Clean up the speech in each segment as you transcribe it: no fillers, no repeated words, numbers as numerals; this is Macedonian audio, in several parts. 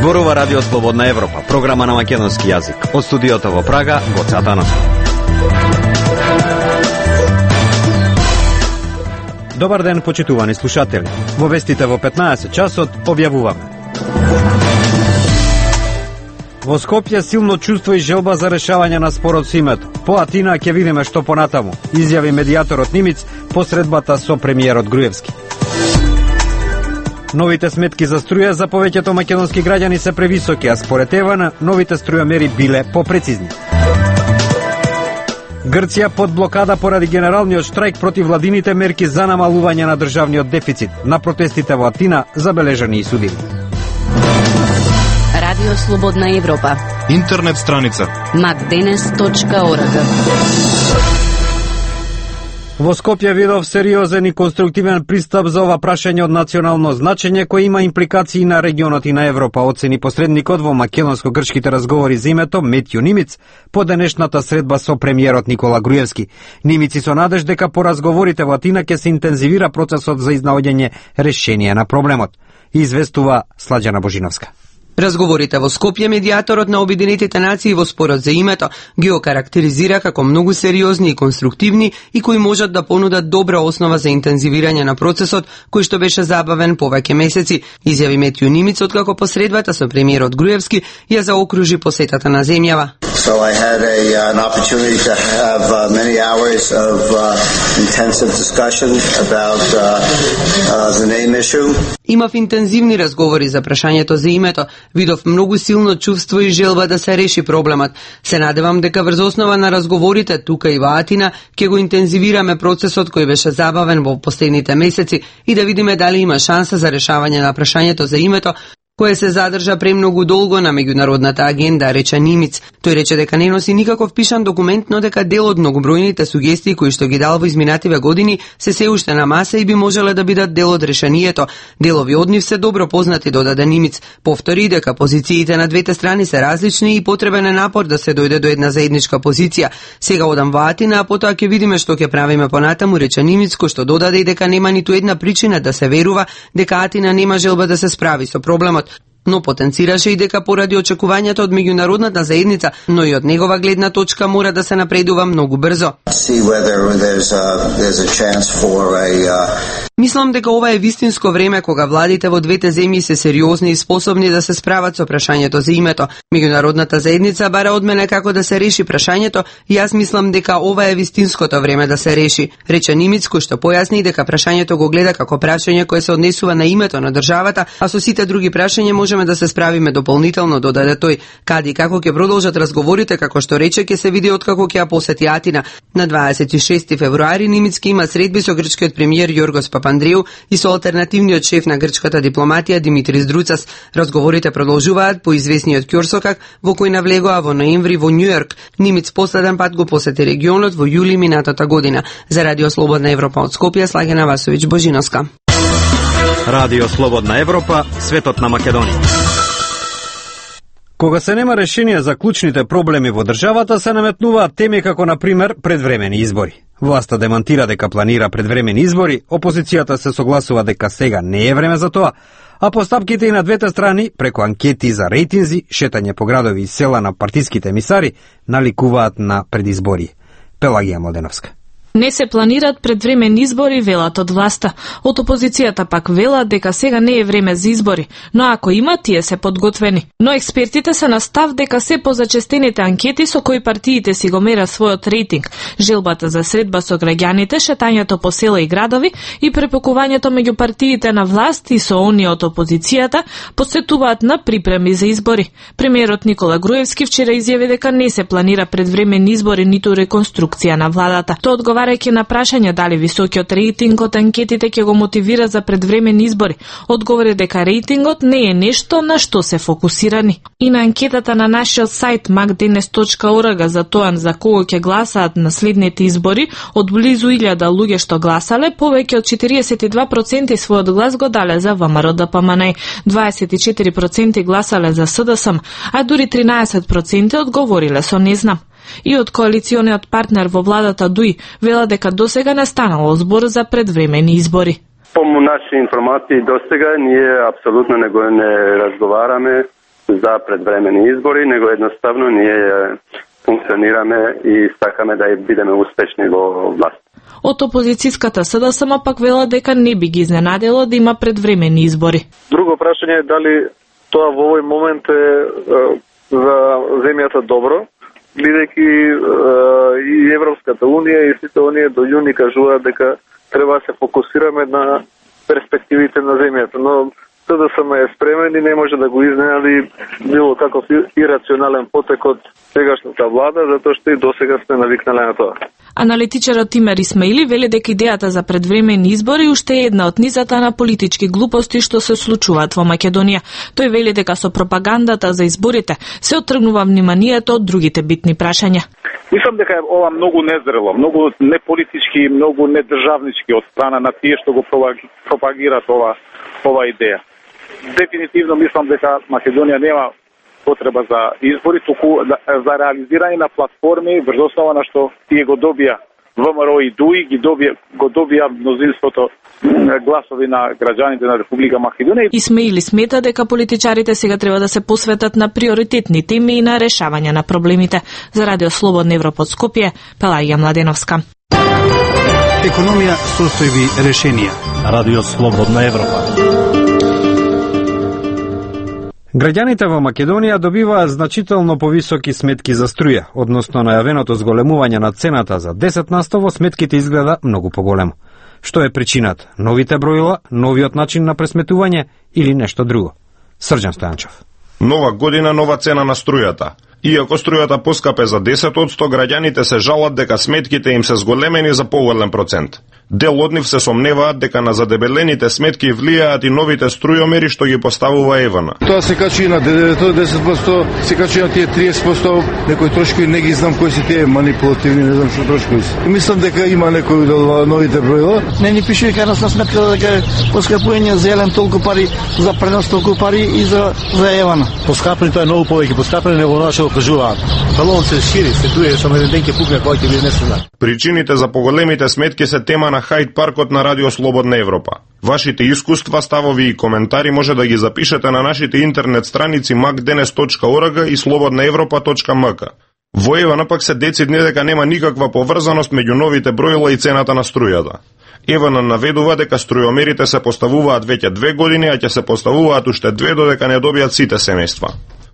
Зборува Радио Слободна Европа, програма на македонски јазик. Од студиото во Прага, Гоце Атанасов. Добар ден, почитувани слушатели. Во вестите во 15 часот објавуваме. Во Скопје силно чувство и желба за решавање на спорот со името. По Атина ќе видиме што понатаму, изјави медијаторот Нимиц по средбата со премиерот Груевски. Новите сметки за струја за повеќето македонски граѓани се превисоки, а според ЕВН новите струјомери биле попрецизни. Грција под блокада поради генералниот штрајк против владините мерки за намалување на државниот дефицит. На протестите во Атина забележани и судиви. Радио Слободна Европа. Интернет страница macdenes.org. Во Скопје видов сериозен и конструктивен пристап за ова прашање од национално значење кој има импликации на регионот и на Европа, оцени посредникот во македонско-грчките разговори за името Метју Нимиц по денешната средба со премиерот Никола Груевски. Нимиц и со надеж дека по разговорите во Атина ќе се интензивира процесот за изнаоѓање решение на проблемот. Известува Сладжана Божиновска. Разговорите во Скопје медијаторот на Обединетите нации во спорот за името ги окарактеризира како многу сериозни и конструктивни и кои можат да понудат добра основа за интензивирање на процесот кој што беше забавен повеќе месеци, изјави Метју Нимиц откако посредбата со премиерот Груевски ја заокружи посетата на земјава. So I had an opportunity to have many hours of intensive discussion about the name issue. Имав интензивни разговори за прашањето за името. Видов многу силно чувство и желба да се реши проблемот. Се надевам дека врз основа на разговорите тука и во Атина ќе го интензивираме процесот кој беше забавен во последните месеци и да видиме дали има шанса за решавање на прашањето за името кое се задржа премногу долго на меѓународната агенда, рече Нимиц. Тој рече дека не носи никаков пишан документ, но дека дел од многобројните сугестии кои што ги дал во изминативе години се уште на маса и би можеле да бидат дел од решението. Делови од нив се добро познати, додаде Нимиц. Повтори дека позициите на двете страни се различни и потребен е напор да се дојде до една заедничка позиција. Сега одам во Атина, а потоа ќе видиме што ќе правиме понатаму, рече Нимиц, кој што додаде и дека нема ниту една причина да се верува дека Атина нема желба да се справи со проблемот. Но потенцираше и дека поради очекувањата од меѓународната заедница, но и од негова гледна точка мора да се напредува многу брзо. Мислам дека ова е вистинско време кога владите во двете земји се сериозни и способни да се справат со прашањето за името. Меѓународната заедница бара од мене како да се реши прашањето и јас мислам дека ова е вистинското време да се реши, рече Нимиц, кој што појасни дека прашањето го гледа како прашање кое се однесува на името на државата, а со сите други прашања можеме да се справиме дополнително, додаде тој. Каде и како ќе продолжат разговорите, како што рече, ќе се види откако ќе ја посети Атина. На 26 февруари Нимиц ќе има средби со грчкиот премиер Јоргос Папандреу и со алтернативниот шеф на грчката дипломатија Димитрис Друцас. Разговорите продолжуваат по известниот ќорсокак во кој навлегоа во ноември во Њујорк. Нимиц последен пат го посети регионот во јули минатата година. За Радио Слободна Европа од Скопје, Слагена Васовиќ Божиновска. Радио Слободна Европа, светот на Македонија. Кога се нема решение за клучните проблеми во државата, се наметнуваат теми како, например, предвремени избори. Власта демантира дека планира предвремени избори, опозицијата се согласува дека сега не е време за тоа, а постапките и на двете страни, преку анкети за рейтинзи, шетање по градови и села на партиските емисари, наликуваат на предизбори. Пелагија Младеновска. Не се планират предвремени избори, велат од власта. Од опозицијата пак велат дека сега не е време за избори, но ако има, тие се подготвени. Но експертите се на став дека се позачестените анкети со кои партиите си го мера својот рейтинг, желбата за средба со граѓаните, шетањето по села и градови и препокувањето меѓу партиите на власт и со оние од опозицијата подсетуваат на припреми за избори. Премиерот Никола Груевски вчера изјави дека не се планира предвремени избори ниту реконструкција на владата. Тоа одговарајќи на прашање дали високиот рейтинг од анкетите ќе го мотивира за предвремени избори, одговори дека рейтингот не е нешто на што се фокусирани. И на анкетата на нашиот сајт macdenes.org за тоа за кого ќе гласаат на следните избори, од близу 1000 луѓе што гласале, повеќе од 42% својот глас го дале за ВМРО-ДПМН, 24% гласале за СДСМ, а дури 13% одговориле со не знам. И од коалициониот партнер во владата ДУИ велат дека досега не станало збор за предвремени избори. По наши информации досега ние апсолутно не разговараме за предвремени избори, него едноставно ние функционираме и сакаме да бидеме успешни во власт. Од опозицијската СДСМ пак велат дека не би ги изненадило да има предвремени избори. Друго прашање е дали тоа во овој момент е за земјата добро, гледајќи и Европската унија и сите оние до јуни кажуваат дека треба да се фокусираме на перспективите на земјата, но СДСМ е спремен и не може да го изненади било каков ирационален потек од сегашната влада, затоа што и досега сме навикнале на тоа. Аналитичарот Тимер Исмаили вели дека идејата за предвремени избори уште е една од низата на политички глупости што се случуваат во Македонија. Тој вели дека со пропагандата за изборите се оттргнува вниманието од другите битни прашања. Мислам дека е ова многу незрело, многу неполитички, многу недржавнички од страна на тие што го пропагираат ова идеја. Дефинитивно мислам дека Македонија нема потреба за избори, туку за реализирање на платформи врз основа на што тие го добија ВМРО и ДУИ, го добија мнозинството гласови на граѓаните на Република Македонија. Исмаили смета дека политичарите сега треба да се посветат на приоритетни теми и на решавање на проблемите. За Радио Слободна Европа од Скопје, Пелагија Младеновска. Економија, состојби, решенија. Радио Слободна Европа. Граѓаните во Македонија добиваат значително повисоки сметки за струја, односно најавеното зголемување на цената за 10% во сметките изгледа многу поголемо. Што е причината? Новите броила, новиот начин на пресметување или нешто друго? Срđan Стојанчев. Нова година, нова цена на струјата. Иако струјата поскапе за 10%, граѓаните се жалат дека сметките им се зголемени за поголем процент. Дел од нив се сомневаат дека на задебелените сметки влијаат и новите струјомери што ги поставува ЕВН. Тоа се качи на 10%, се качи на тие 30%, некои трошкови не ги знам кои се тие манипулативни, не знам што трошкови се. Мислам дека има некои од новите броила. Не ни пише дека нас на сметка дека поскапување за елем толку пари, за пренос толку пари и за ЕВН. Поскапени тоа е многу повеќе поскапени него наше кажуваат. Балон се шири, се туе само еден ден ќе пукне кој ќе биде несена. Причините за поголемите сметки се тема на Хајд паркот на Радио Слободна Европа. Вашите искуства, ставови и коментари може да ги запишете на нашите интернет страници macdenes.org и slobodnaevropa.mk. Во ЕВН пак се децидни дека нема никаква поврзаност меѓу новите броила и цената на струјата. ЕВН наведува дека струјомерите се поставуваат веќе 2 години, а ќе се поставуваат уште 2 додека не добијат сите семејства.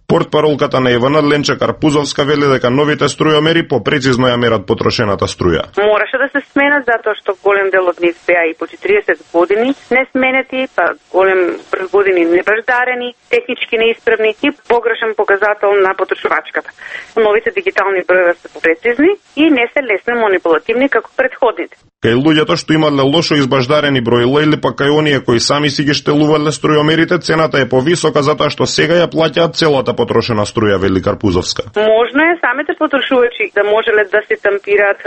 Портпаролката на ЕВН Ленче Карпузовска вели дека новите струјомери попрецизно ја мерат потрошената струја. Мораше да се сменат затоа што голем дел од нив беа и по 40 години не сменети, па голем брз години небаждарени, технички неисправни и погрешен показател на потрошувачката. Новите дигитални броеви се попрецизни и не се лесно манипулативни како претходните. Кај луѓето што имале лошо избаждарени броила или пак кај оние кои сами си ги штелувале струјомерите, цената е повисока затоа што сега ја плаќаат целата потрошена струја, вели Карпузовска. Можно е самите потрошувачи да можеле да се тампираат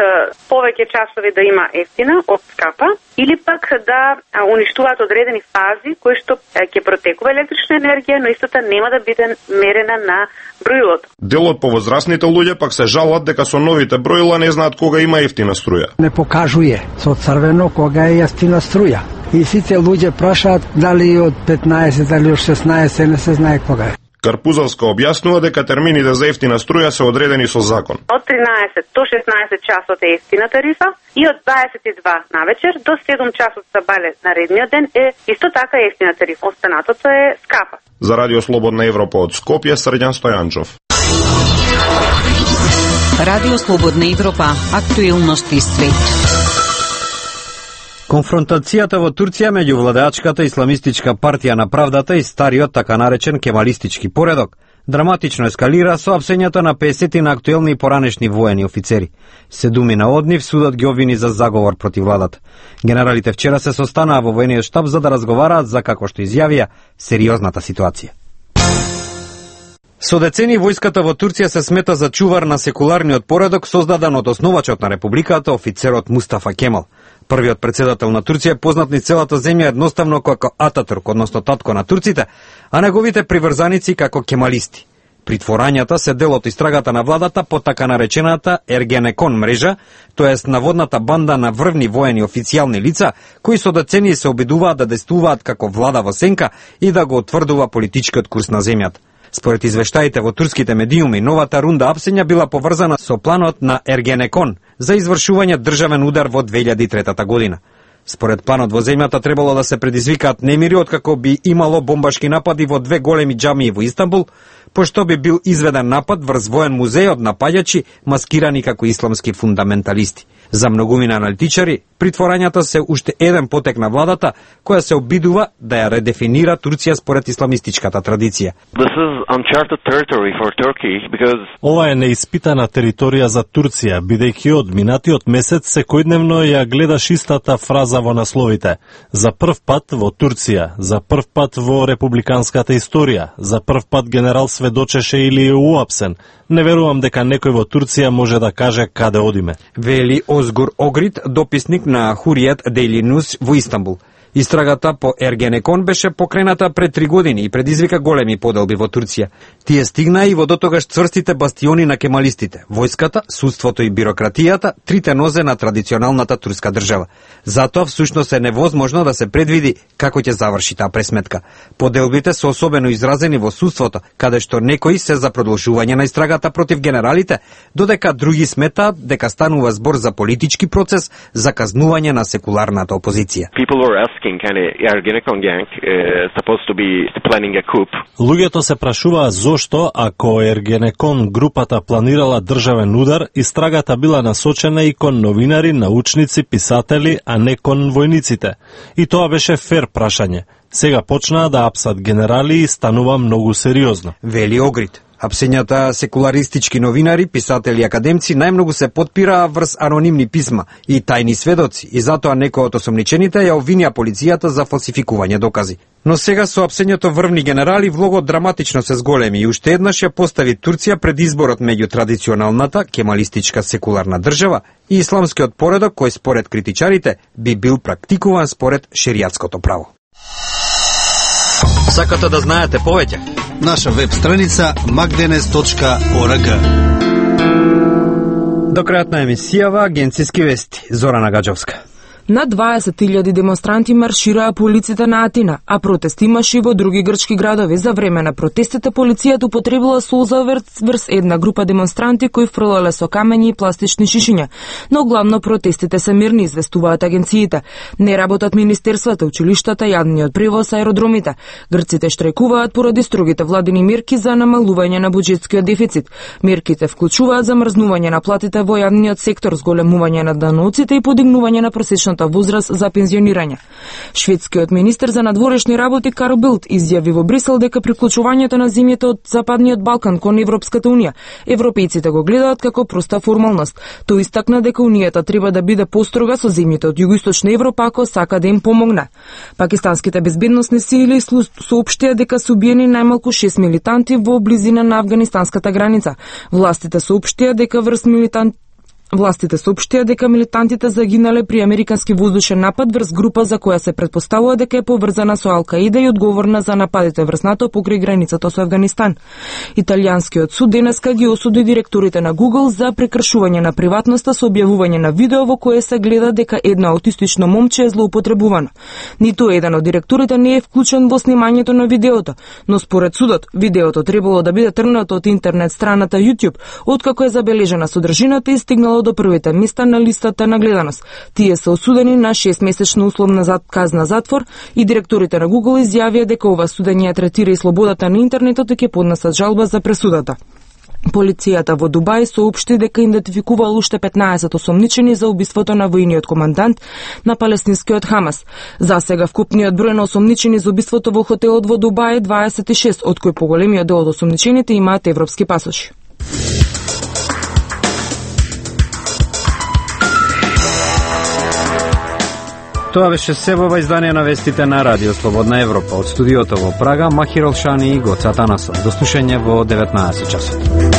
повеќе часови да има ефтина од скапа или пак да уништуваат одредени фази кои што ќе протекува електрична енергија, но истото нема да биде мерена на броилото. Дел од повозрасните луѓе пак се жалат дека со новите броила не знаат кога има ефтина струја. Не покажуе со црвено кога е ефтина струја. И сите луѓе прашаат дали од 15, дали од 16, не се знае кога е. Карпузовска објаснува дека термините за ефтина струја се одредени со закон. Од 13 до 16 часот е ефтина тарифа и од 22 навечер до 7 часот сабале на редниот ден е исто така ефтина тарифа. Останатото е скапа. За Радио Слободна Европа од Скопје, Срđan Стојанчов. Радио Слободна Европа, актуелности свет. Конфронтацијата во Турција меѓу владеачката Исламистичка партија на правдата и стариот така наречен кемалистички поредок драматично ескалира со апсењето на 50 на актуелни и поранешни воени офицери. 7 од нив судот ги обвини за заговор против владата. Генералите вчера се состанаа во воениот штаб за да разговараат за, како што изјавија, сериозната ситуација. Со децени војската во Турција се смета за чувар на секуларниот поредок создаден од основачот на републиката, офицерот Мустафа Кемал. Првиот председател на Турција е познат низ целата земја едноставно како Ататурк, односно татко на турците, а неговите приврзаници како кемалисти. Притворањата се дел од истрагата на владата по така наречената Ергенекон мрежа, тоест наводната банда на врвни воени официјални лица, кои со децении се обидуваат да действуваат како влада во сенка и да го утврдува политичкиот курс на земјата. Според извештаите во турските медиуми, новата рунда апсења била поврзана со планот на Ергенекон за извршување државен удар во 2003 година. Според планот во земјата требало да се предизвикаат немири откако би имало бомбашки напади во 2 големи џамии во Истанбул, пошто би бил изведен напад врз воен музеј од напаѓачи маскирани како исламски фундаменталисти. За многумина аналитичари, притворањата се уште еден потек на владата која се обидува да ја редефинира Турција според исламистичката традиција. Ова е неиспитана територија за Турција, бидејќи од минатиот месец секојдневно ја гледаш истата фраза во насловите. За прв пат во Турција, за прв пат во републиканската историја, за прв пат генерал сведочеше или е уапсен. Не верувам дека некој во Турција може да каже каде одиме. Вели Озгур Огрид, дописник на Хуријат Дейли Ньюс во Истанбул. Истрагата по Ергенекон беше покрената пред 3 години и предизвика големи поделби во Турција. Тие стигнаа и во дотогаш цврстите бастиони на кемалистите, војската, судството и бирократијата, трите нозе на традиционалната турска држава. Затоа всушност е невозможно да се предвиди како ќе заврши таа пресметка. Поделбите се особено изразени во судството, каде што некои се за продолжување на истрагата против генералите, додека други сметаат дека станува збор за политички процес за казнување на секуларната опозиција. Луѓето се прашуваа зошто, ако Ергенекон групата планирала државен удар, истрагата била насочена и кон новинари, научници, писатели, а не кон војниците. И тоа беше фер прашање. Сега почнаа да апсат генерали и станува многу сериозно. Вели Огрид. Апсењата секуларистички новинари, писатели и академци најмногу се потпираа врз анонимни писма и тајни сведоци и затоа некои од осомничените ја обвинија полицијата за фалсификување докази. Но сега со апсењето врвни генерали влогот драматично се зголеми и уште еднаш ја постави Турција пред изборот меѓу традиционалната кемалистичка секуларна држава и исламскиот поредок кој според критичарите би бил практикуван според шеријатското право. Сакате да знаете повеќе? Наша веб страница magdenes.org. До крајот на емисијава агенциски вести. Зорана Гаджовска. На 20.000 демонстранти маршираа по улиците на Атина, а протест имаше и во други грчки градови. За време на протестите полицијата употребила солза врз една група демонстранти кои фрлале со камењи и пластични шишиња. Но главно протестите се мирни, известуваат агенциите. Не работат министерствата, училиштата, јавниот превоз, аеродромите. Грците штрajкуваат поради строгите владини мерки за намалување на буџетскиот дефицит. Мерките вклучуваат замрзнување на платите во јавниот сектор, зголемување на даноците и подигнување на просечната возраст за пензионирање. Шведскиот министер за надворешни работи Карл Билт изјави во Брисел дека приклучувањето на земјите од Западниот Балкан кон Европската унија европејците го гледаат како проста формалност. Тој истакна дека унијата треба да биде построга со земјите од југоисточна Европа ако сака да им помогне. Пакистанските безбедносни сили соопштија дека се убиени најмалку 6 милитанти во близина на афганистанската граница. Властите соопштија дека милитантите загинале при американски воздушен напад врз група за која се претпоставува дека е поврзана со Ал-Каида и одговорна за нападите врз НАТО покрај границата со Афганистан. Италијанскиот суд денеска ги осуди директорите на Google за прекршување на приватноста со објавување на видео во кое се гледа дека едно аутистично момче е злоупотребувано. Ниту еден од директорите не е вклучен во снимањето на видеото, но според судот видеото требало да биде тргнато од интернет страната YouTube, откако е забележена содржината и стигнало до првите места на листата на гледаност. Тие се осудени на 6-месечна условна казна затвор и директорите на Google изјавија дека ова судење ја третира и слободата на интернетот и ќе поднесат жалба за пресудата. Полицијата во Дубај соопшти дека идентификувал уште 15 осомничени за убиството на војниот командант на палестинскиот Хамас. За сега вкупниот број на осомничени за убиството во хотелот во Дубај е 26, од кои поголемиот дел од осомничените имаат европски пасоши. Тоа беше себова издание на вестите на Радио Слободна Европа. Од студиото во Прага, Махир Олшани и Гоца Танасов. До слушање во 19 часот.